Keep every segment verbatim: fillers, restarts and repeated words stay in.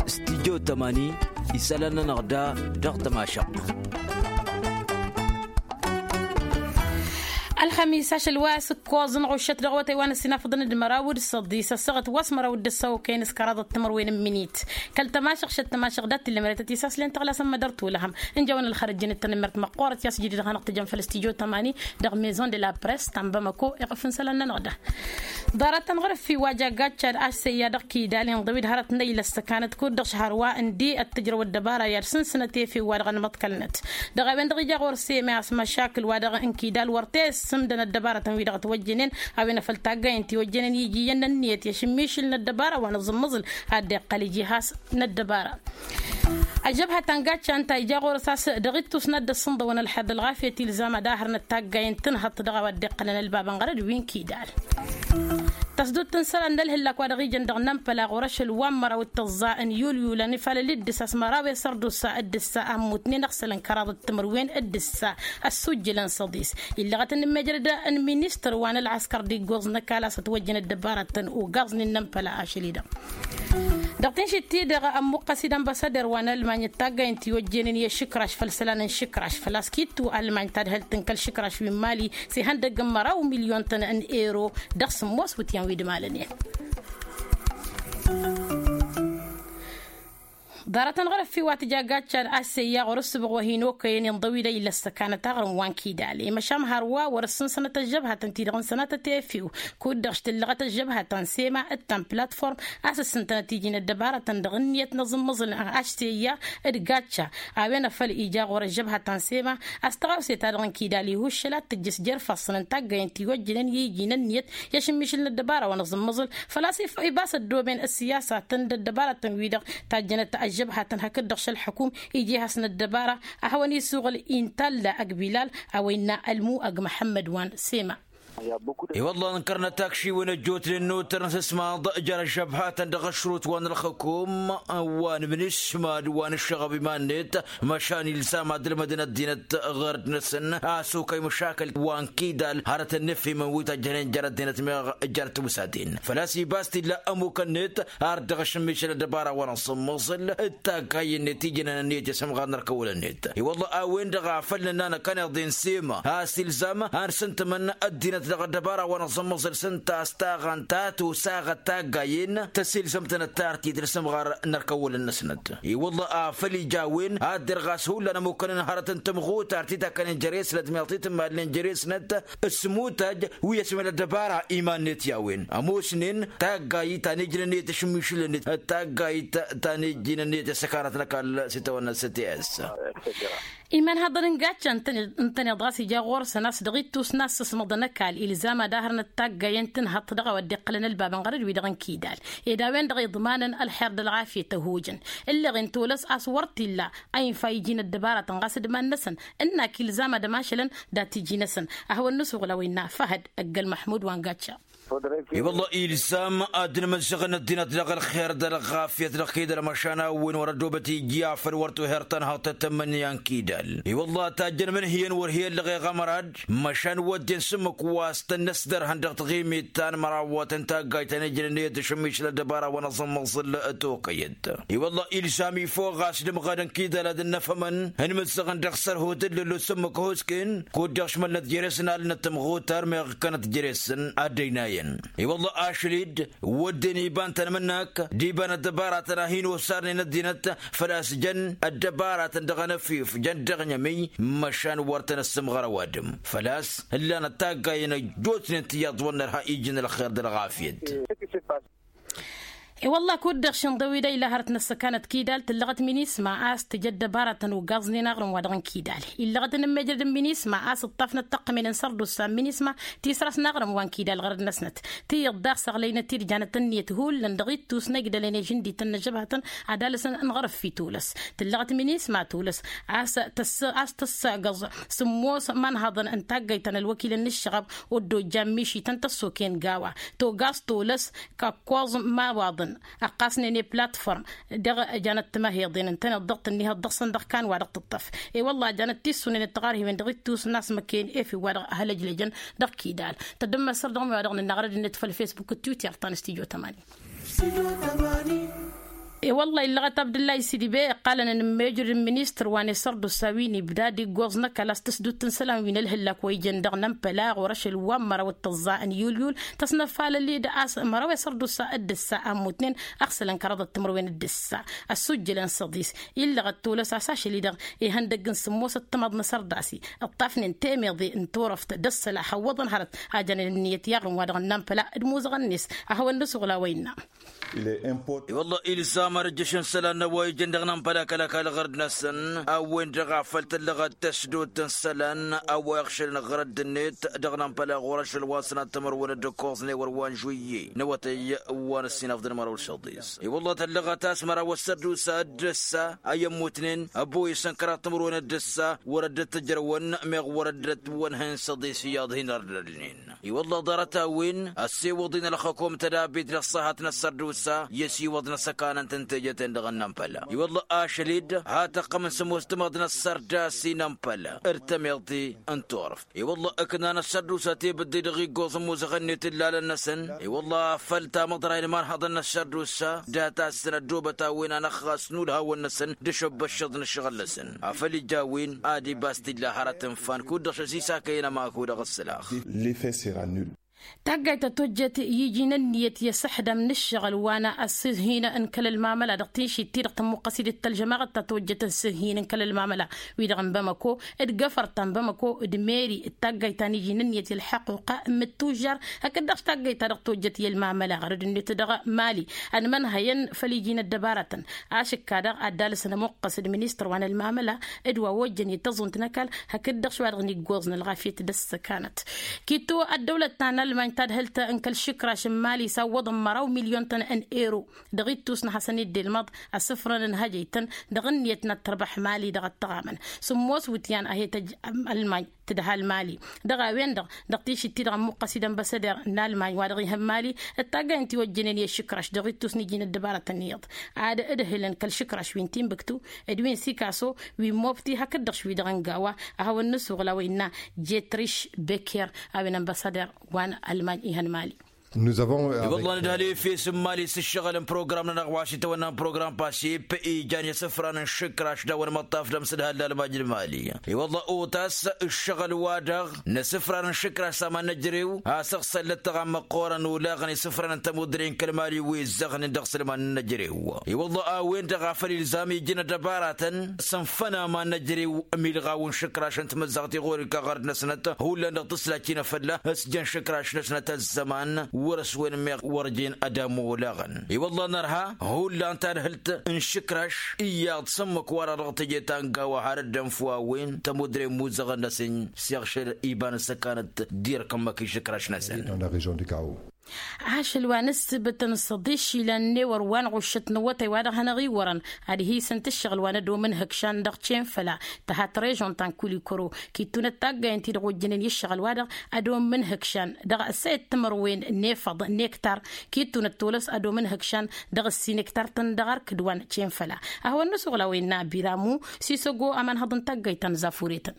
Stijjo tămani isălan-nănăɣ da dăɣ-tămašăɣt. Ălxămis ašăl wa s-ǝkkoẓ n-ɣuššăt dăɣ-awătay wa n-ăssinafăḍăn d-măraw d-săḍis ăssaɣăt wa s-măraw d-ǝssaw kăyăn s-kăraḍăt timǝrwen n-minit. Kăl-tămašăɣ šăt tămašăɣ dat-t-illa măretăt isaslen tăɣlasăn mădăr tulăhăm. Ǝnjăwăn ălxărăt jăn d-tanămmert măqqoorăt i-a-s jidid hanăɣ-tăjăn făll-stijjo tămani dăɣ-maison de la press ta n-bamako iɣǝf n-isălan-nănăɣ da. Ḍarăt-tăn ɣur-ǝffi wa jaggacca d-ašseyya dăɣ-kidal inḍăw-dd hărăt n-ăyy lăssăkanăt kud-dăɣ šăhăr wa ǝndi ăttǝjrăw ăddăbara i-ad-sǝnsǝnăt efew-wa-dăɣ ănmăḍkălnăt. Dăɣ-a-wen-dăɣ ija ɣur-seme a-s măšakǝl-wa-dăɣ n-kidal wăr t-e-ǝssǝmdăn ăddăbarătăn-wi-dăɣ ătwăjjănen. A-wen a făl taggay ǝnta i-ojjănen iji iyyăn n-ǝnniyăt i-ašǝmmišǝl n-ăddăbara wa n-aẓǝmmǝẓǝl ad-dd-iqqăl iji has n-ăddăbara. Ăžžăbhăt ta n-gacca ǝnta ija ɣur-s a-s dăɣ-ittus n-ad-dd-ăssǝnḍăwăn ălxer d-ălɣafyăt ilzam ad-ahărnăt taggayen tǝnhăḍt dăɣ-a-wa dd-iqqălăn ălbab ănɣărăd wi n-kidal. Tăsdut n-isălan n-ălhǝllak wa dăɣ-ijăn dăɣ-nămpăla ɣur-ašăl wa n-măraw d-tăẓẓa n-yulyulăn ifalăl d-ǝssa s-măraw i-sărdusa d-ǝssa a ămmutnen ăɣsălăn kăraḍăt timǝrwen d-ǝssa ăssujjǝlăn săḍis. Illăɣăt n-immejrăd n-ministăr wa n-ălɣăskăr d-iggoẓ n-ăkall a-s ătwăjjăn ăddăbarătăn ugaẓnen n-ămpăla ašăl-i-dăɣ. Dăɣ-tinšit-ti-dăɣ ămmuqqăs-dd ănbăsăder wa n-ălmany d-taggayăn tiwăjjenen i-ašǝkraš făll-isălan n-išǝkraš făl-a-s kittu ălmany tadhǝlt n-kăl-išǝkraš wi n-mali s-ihăndăgg n-măraw milyon-tăn n-ero dăɣ-sǝmmos wǝtyan wi d-imalănen. Ḍarăt-tăn ɣur-ǝffi wa tǝja gacca d-ašseyya ɣur-ǝssǝbɣ wa hin-okăyăn inḍăw-dd a illăs săkanăt aɣrǝm wa n-kidal i-măšan hărwa wăr-ǝssǝnsănăt ăžžăbhătăn-ti-dăɣ ǝnsănătăt i-efew. Kud-dăɣ s-tǝllăɣăt ăžžăbhătăn sema d-ta n-platform a-s ǝssǝntănăt iji n-ăddăbarătăn dăɣ-ǝnniyăt n-aẓǝmmăẓǝl ašseyya d-gacca. A-wen a făl ija ɣur-ăžžăbhătăn sema a-s tăɣawse-ta-dăɣ n-kidal ihuššăl ad-tǝjjǝs jer-ifassăn n-taggayen tiwăjjănen i-iji n-ǝnniyăt i-ašǝmmišǝl n-ăddăbara wa n-aẓǝmmăẓǝl. Făl-a-s ibas ăddooben ăssiyasatăn d-ăddăbarătăn-wi-dăɣ tajjănăt ăžžăbhătăn hakd-dăɣ šăl-ălḥăkum iji has-năddăbara. A hawăn-isuɣǝl intalla ăgg bilal a-wa innă ălmu ăgg măḥămmăd wa n-sema. I-wălla ănkărnăt akšiwen ăjjootnen n-otărăn s-ăsmaḍ jer-ăžžăbhătăn dăɣ-ăšrut wa n-ălxăkum wa n-imǝnǝšmad wa n-ǝššăɣăb iman-net. Măšan ilsam ad-ǝlmădăn ăddinăt ɣur-dăɣ-năsăn a-s okăy măšakăl wa n-kidal hărătăn n-efhimăn wi tăjjănen jer-ăddinăt meɣ jer-tiwǝsaten făl-a-s ibas t-illa ămukăn-net. Ar dăɣ-ašǝmmišăl ăddăbara wa n-asǝmmăẓǝl d-taggayen-net ijnăn ǝnniyăt i-asǝmɣar n-ărkăwăl-net. I-wălla a-wen-dăɣ a făl nǝnna năkkăneḍ-en sema a-s ilzam a n-sǝntǝmăn ăddinăt dăɣ-ăddăbara wa n-asǝmmăẓǝl s-ǝnta a-s taɣăn ta tosaɣăt taggayen tăsilzăm-tănăt tartit n-asǝmɣar n-ărkăwăl-năsnăt. I-wălla a făl ija a-wen ad-dd-irɣas hullan ămukăn n-hărăt n-tămɣutar ti takkănen jer-esnăt meɣ ti tǝmmalnen jer-esnăt s-mutaj wi ăsmel ăddăbara iman-net i-a-wen ămoosnen taggayt ta n-ijnăn-net ašǝmmišǝl-net taggayt ta n-ijnăn-net i-săkanăt n-ăkall s-itawănna s-t s. Iman haḍăn n-gacca ǝntăneḍ ɣas ija ɣur-săn a-s dăɣ-ittus n-assăsmăḍăn ăkall ilzam ad-ahărnăt taggayen tǝnhăḍt dăɣ-a-wa dd-iqqălăn ălbab ănɣărăd-wi-dăɣ n-kidal ed a-wen-dăɣ iḍmanăn ălxer d-ălɣafyăt ăhojăn. Ǝlleɣ-in tolăs a-s wăr t-illa a infa iji n-ăddăbarătăn ɣas d-iman-năsăn ǝnnak ilzam ad-ămašălăn dat-iji-năsăn. A hawăn-nǝsuɣǝl a-wa innă făhăd ăgg-ălmăḥmud wa n-gacca. I-wălla ilzam ad-dd-inmǝzzăɣăn ăddinăt dăɣ-ălxer d-ălɣafyăt dăɣ-kidal măšan a-wen wăr-ădobăt iji afăl wăr toher tanhăḍt tăt-tămmănǝya n-kidal. I-wălla tajjăn mǝnhǝyăn wăr hi-ăllăɣeɣ ămărad măšan wădden s-ǝmmǝk wa s-tăn-năsdărhăn dăɣ-taɣimit ta n-mărawăt n-taggayt ta n-ijnăn i-tǝšǝmmišǝl ăddăbara wa n-aẓǝmmăẓǝl tokăyăt. I-wălla ilzam ifoɣ ɣas d-ǝmɣăd n-kidal ad-dd-năfhămăn ǝnmǝzzăɣăn dăɣ-sărhut d-lăllu s-ǝmmǝk ăhosken kud-dăɣ šmălnăt jere-săn alnăt tămɣutar meɣ ǝkkănăt jere-săn ad-dd-ăynayăn. I-wălla ašăl-dd wădden iba n-tanmǝnnak d-iba n-ăddăbaratăn a hin-osarnen ăddinăt făl-a-s jăn ăddăbaratăn dăɣ-anăfif jăn dăɣ-inyămǝy. Măšan wăr tăn-ăssǝmɣăr ăwadǝm făl-a-s ǝllanăt taggayen ăjjootnen tiyyăḍ wăr nărha iji n-ălxer d-ălɣafyăt. I-wălla kud-dăɣ šinḍăw-dd a ila hărăt n-ăssăkanăt kidal tǝllăɣăt minisma a-s tǝj ăddăbarătăn ugaẓnen aɣrǝm-wa-dăɣ n-kidal. Illăɣăt n-ǝmmejrăd n-minisma a-s ǝṭṭafnăt tăqqǝmen n-sărdusa n-minisma tisras n-aɣrǝm wa n-kidal ɣărăd-năsnăt tiyyăḍ daɣ săɣlăynăt-dd janăt ǝnniyăt hullan dăɣ-ittus n-ăjdălăn i-žǝndităn n-ăžžăbhătăn ad-alăsăn n-ɣărǝf i-tulăs. Tǝllăɣăt minisma tulăs a-s tăssăgăẓ sǝmmos imanhăḍăn n-taggăyt ta n-ălwăkilăn n-ǝššăɣăb. Oddo jan mišităn tăssoken gawa togaẓ tulăs kăkkoẓ n-imawaḍăn ăqqasnen i-platform dăɣ-janăt timăheḍen ǝntăneḍ dăɣ-tǝnnihăḍ dăɣ-săn dăɣ-kan wa dăɣ-tǝṭṭăf. I-wălla janăt tissunen d-tiɣarhiwen dăɣ-ittus n-asmăken efew wa dăɣ-hălăjlăjăn dăɣ-kidal. Tăddămmăsăr dăɣ-mi wa dăɣ-nǝnna ɣărăd-net făll-facebook d-twitter ta n-stujo tămani. I-wălla illăɣăt abdǝllay sidibe iqqalăn n-mejrǝd n-ministăr wa n-esărdusa wi n-ibda d-iggoẓ n-ăkall a-s tǝsdut n-isălan wi n-ălhǝllak wa ijăn dăɣ-nămpăla ɣur-ašăl wa n-măraw d-tăẓẓa n-yulyul tăsnăfalăl-dd a-s măraw esărdusa d-ǝssa a ămmutnen ăɣsălăn kăraḍăt timǝrwen d-ǝssa. Ăssujjălăn săḍis illăɣăt tolăs a-s ašăl-i-dăɣ ihăndăgg n-sǝmmosăt timaḍ n-asărdas-i ǝṭṭafnen temeḍe n-turăft d-ăssăla hăwwăḍăn hărăt a jăn ănniyăt i-aɣrǝm wa dăɣ-nămpăla d-imuzăɣăn-net. A hawăn-nǝsuɣǝl a-wa innă. I-wălla ilzam ad-ǝjjǝšăn isălan n-a-wa ijăn dăɣ-nămpăla kăl-ăkall ɣărd-năsăn a-wen-dăɣ a făl tǝllăɣăt tăsdot n-isălan a-wa iɣšălăn ɣărădd-net dăɣ-nămpăla ɣur-ašăl wa s-sănat timărwen d-ǝkkoẓnen wăr wa n-žuyye n-awătăy wa n-ăssinăfḍăn măraw d-săḍis. I-wălla tăllăɣăt a-s măraw ăssărdusa d-ǝssa a i-ămmutnen ăboyăsăn kăraḍ timărwen d-ǝssa wăr ăddăt tǝjrăwăn meɣ wăr ăddăt wănhăyăn săḍis iyyăḍ hin-ărdălnen. I-wălla ḍarăt-a-wen ăssewăḍ-in ălxăkom tădabit dăɣ-săhat n-ăssărdusa i-ăsiwăḍ n-asăkanăn-tăn teje-ten-dăɣ n-inămpăla. I-wălla ašăl-dd ha tăqqăm n-sămoos timaḍ n-ăssărdas i-inămpăla d-tămeḍt n-turăft. I-wălla ǝknan ăssărdusa tebǝdde dăɣ-iggoẓ n-imuzăɣăn-net ǝllalăn-năsăn. I-wălla a făl tamăḍra i-inmănhăḍăn n-ăssărdusa data-săn ăddoobăt a-wen anăxxas n-ulhawăn-năsăn d-ašăbbăššăḍ n-ǝššăɣǝl-năsăn a făl ija a-wen ad-ibas t-illa hărăt n-fan kud-dăɣ šăsisakăyăn ămaku dăɣ-ǝssǝlax. Taggayt ta tojjet iji n-ǝnniyăt i-asǝḥdam n-ǝššăɣǝl wa n-asǝhhin n-kăl-ălmamăla dăɣ-tinšit-ti-dăɣ tămmuqqăs-dd d-tălžămaɣăt ta tojjet n-asǝhhin n-kăl-ălmamăla wi-dăɣ n-bamăko d-gafăr ta n-bamăko d-meri d-taggayt ta n-iji n-ǝnniyăt i-ălḥăqquqa n-mǝttujjar. Hakd-dăɣ taggayt ta dăɣ-tojjet i-ălmamăla ɣărăd-net dăɣ-mali ănmănhăyăn făll-iji n-ăddăbarătăn ašǝkka-dăɣ ad-dd-alǝsăn ămuqqăs d-ministăr wa n-ălmamăla d-wa ojjăn i-tăẓunt n-ăkall hakd-dăɣ šwa dăɣ-niggoẓ n-ălɣafyăt d-ăssăkanăt. Kittu ăddăwlăt ta n-almany tadhǝlt n-kăl-išǝkraš n-mali sawwăḍăn măraw milyun-tăn n-ero dăɣ-ittus n-ad-hasăn-dd-ilmăḍ asǝfrăn n-hăjăy-tăn dăɣ-ǝnniyăt n-ad-tărbax mali dăɣ-ăttăɣamăn. Sǝmmos wǝtyan a he-tăj almany tǝdhal mali dăɣ-a-wen-dăɣ dăɣ-tišit-ti-dăɣ ămmuqqăs-dd ănbăsăder n-almany wa dăɣ-ihăn mali d-taggay n-tiwăjjănen i-ašǝkraš dăɣ-ittus n-iji n-ăddăbarătăn iyyăḍ ad-ǝdhǝlăn kăl-išǝkraš wi n-timbǝktu d-wi n-sikaso wi n-mobti hakd-dăɣ š-wi-dăɣ n-gawa. A hawăn-nǝsuɣǝl a-wa innă jetriš beker a-wen ănbăsăder wa n-almany ihăn mali. I-wălla nǝdhăl efes n-mali s-ǝššăɣǝl n-program-nănăɣ wa s-itawănna n-program pasip ijan i-asǝfran n-išǝkraš d-a-wa n-imăṭṭaf d-amsǝdhal d-almaj n-mali. I-wălla otas ǝššăɣǝl-wa-dăɣ n-asǝfran n-išǝkraš s-aman n-ejărew a-s ăɣsăl lăttăɣa n-măqqoorăn olaɣăn isǝfran n-tămudre n-kăl-mali wi ǝzzăɣnen dăɣ-isălman n-ejărew. I-wălla a-wen-dăɣ a făl ilzam iji n-ăddăbaratăn s-ǝnfăn aman n-ejărew ămilɣaw n-išǝkraš n-timǝzzaɣt i-ɣur-ika ɣărd-năsnăt hullan dăɣ-tǝslajt-in a fălla s-jăn išǝkraš-năsnăt ăzzăman wăr-ăswăyăn meɣ wăr jen ad-ammu olaɣăn. I-wălla nărha hullan tadhǝlt n-išǝkraš iyyăḍ s-ǝmmǝk-wa-dăɣ dăɣ-teje ta n-gawa har dd-ănfu a-wen tămudre n-imuzăɣăn-năsăn s-iɣšăl iba n-ăssăkanăt dirk ǝmmǝk išǝkraš-năsăn. Ašăl wa n-ǝssǝbǝtăn s-aḍišilăn n-ewăr wa n-ɣuššăt n-awătay wa dăɣ-hanăɣ-iwărăn ad-hi-săn tǝššăɣǝl wa n-ădom n-ihǝkšan dăɣ-cenfăla tăhat režon ta n-kulikoro. Kittunăt taggay ǝnta-i-dăɣ ojjănen i-ǝššăɣǝl-wa-dăɣ ădom n-ihǝkšan dăɣ-ăssayăt timărwen n-efăḍ n-ektar. Kittunăt tolăs ădom n-ihǝkšan dăɣ-ǝssin ektar-tăn dăɣ-arkǝd wa n-cenfăla. A hawăn-nǝsuɣǝl a-wa innă biramu sisăgo amănhăḍ n-taggayt ta n-zafuretăn.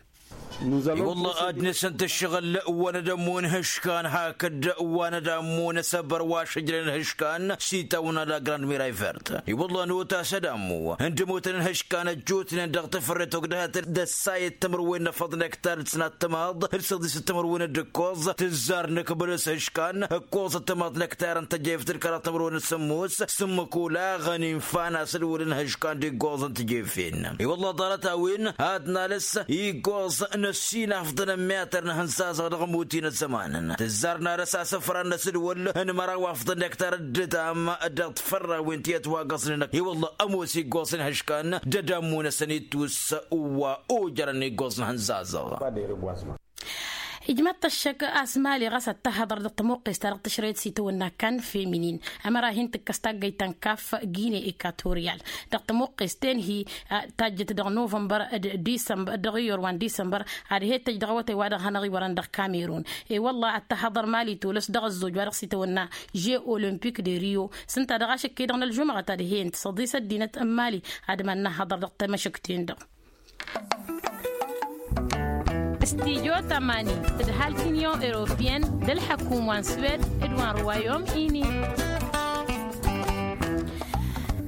I-wălla ad-nǝsǝnt ǝššăɣǝl wa n-ad-ămmun ihǝškan hakd wa n-ad-ămmun asăbăr wa šǝjrăn ihǝškan s-itawănna la grand miray vert. I-wălla notas ad-ămmu ǝndǝmutăn ihǝškan ăjjootnen dăɣ-tafărret ogdăhăt d-ăssayăt timărwen n-efăḍ n-ektar d-sănat timaḍ d-săḍisăt timărwen d-ǝkkoẓ tǝzzar n-akbăl s-ihǝškan ǝkkoẓăt timaḍ n-ektar n-tăjeft d-kăraḍ timărwen d-sǝmmos s-ǝmmǝk olaɣăn infa n-asǝlwǝl n-ihǝškan d-iggoẓ n-tǝjefen. I-wălla ḍarăt-a-wen ad-nalăs iggoẓ n-ăssinafḍăn n-miyatăr n-ihǝnzazăɣ dăɣ-ămuti n-ăzzămanăn tǝzzar nalăs asǝfra n-asǝlwǝl n-măraw afḍăn n-ektar dd-ătam dăɣ-tfărrawen ti ătwagăẓnen. I-wălla ămoos iggoẓ n-ihǝškan d-ădammu-năsăn ittus wa ojărăn iggoẓ n-ihǝnzazăɣ. Ijmăḍ-t ăššăk a-s mali ɣas ad-tăhhăḍăr dăɣ-tămuqqes-ta-dăɣ tǝšrăyăt s-itawănna kan feminin ămăra hin-tǝkkăs taggăyt ta n-kaf gine ekatorial. Dăɣ-tămuqqes-ten-hi tajjăt dăɣ-novămbăr d-disămbăr dăɣ-iyyăr wa n-disămbăr ad-he-tăjj dăɣ-awătay wa dăɣ-hanăɣ-iwărăn dăɣ-kamerun. I-wălla ad-tăhhăḍăr mali tolăs dăɣ-ăzzoj wa dăɣ-s itawănna žeu olămpik de rio s-ǝnta dăɣ-ašǝkka-i-dăɣ n-ălžumăɣăt ad-he-ǝnta s-ăḍisăt dinăt n-mali ad-iman n-ahhăḍăr dăɣ-tamăšǝkt-ten-dăɣ. Stijo tamani tǝdhal t-inyon europiyăn d-ălḥăkum wa n-swed d-wa n-ruwayom ini.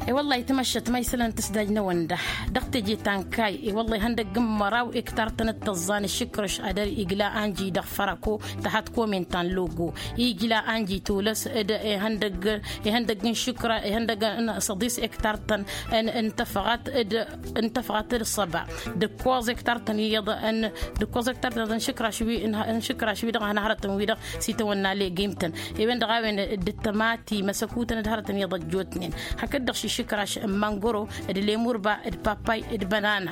I-wălla-hi tămăššăt ma isălan tǝsdaj n-ewăn da dăɣ-teje ta n-kayy. I-wălla-hi ihăndăgg n-măraw ektar-tăn d-tăẓẓa n-ašǝkrăš ad-igla anji dăɣ-fărăko, tăhat komin ta n-logo. Igla anji tolăs d-ihăndăgg n-ašǝkra ihăndăgg n-săḍis ektar-tăn n-tăfăɣat d-săba d-ǝkkoẓ ektar-tăn iyyăḍ n-ǝkkoẓ ektar-tăn iyyăḍ n-ašǝkraš wi-dăɣ hanăhărătăn wi-dăɣ s-itawănna legim-tăn. I-wen-dăɣ a-wen d-tămati măsăkutăn d-hărătăn iyyăḍ ăjjootnen hakd-dăɣ šǝšǝkraš n-mangoro d-lemurba d-papay d-bănana.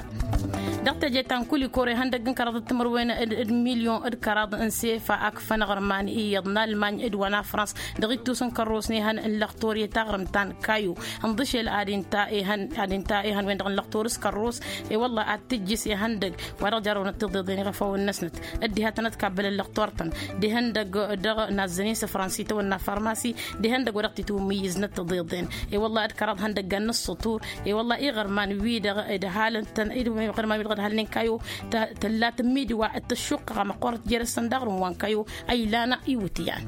Dăɣ-teje ta n-kulikor ihăndăgg n-kăraḍ d-timǝrwen d-milyon d-kăraḍ n-sefa akfăn aɣrǝman iyyăḍ n-almany d-wa n-afrans dăɣ-ittus n-kărros n-ehăn n-lăxtor i-taɣrǝmt ta n-kayo. Ǝnḍǝšel ad-inta ehăn ad-inta ehăn-wen-dăɣ n-lăxtor s-kărros. I-wălla ad-tǝjjǝs ihăndăgg wa dăɣ-jarrăwnăt tiḍeḍen iɣăfawăn-năsnăt dd-ihatăn ad-kabbălăn lăxtor-tăn d-ihăndăgg dăɣ-nazzăn-in s-afrans itawănna farmasi d-ihăndăgg wa dăɣ-titwǝmmǝyyǝznăt tiḍeḍen. I-wălla ad-kăraḍ ihăndăggan n-ǝssǝṭur. I-wălla iɣărman-wi-dăɣ dd-halăn-tăn iɣărman-wi-dăɣ dd-halăn-in kayo tălla tǝmmidǝwa d-tăššuqqăɣ amăqqoorăt jer-săn daɣrǝm wa n-kayo a ilan iwǝtyan.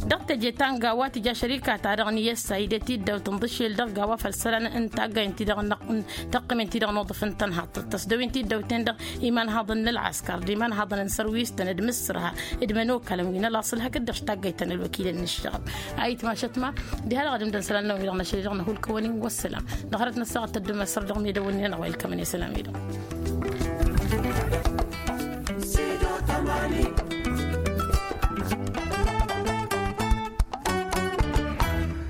Dăɣ-teje ta n-gawa tǝja šărika-ta-dăɣ n-iyăssa ide tiddawt ǝnḍǝšel dăɣ-gawa făll-isălan n-taggay n-ti-dăɣ n-tăqqǝmen-ti-dăɣ n-oḍăf n-tănhaḍt tăsdăwen tiddawten-dăɣ imanhaḍăn n-ălɣăskăr d-imanhaḍăn n-sărwistăn d-imǝssǝrha d-imănokalăn wi n-ălaṣăl hakd-dăɣ s-taggayt ta n-ălwăkilăn n-ǝššăɣăb. A itmašăt ma diha-dăɣ ad-imdăn isălan-năwăn wi-dăɣ n-ašăl-i-dăɣ năhulkăwăn-in wăssălam. Dăɣ-hărăt n-ăssaɣăt tăddumăsăr dăɣ-medăwăn-in-anăɣ wa ilkămăn i-isălan-wi-dăɣ.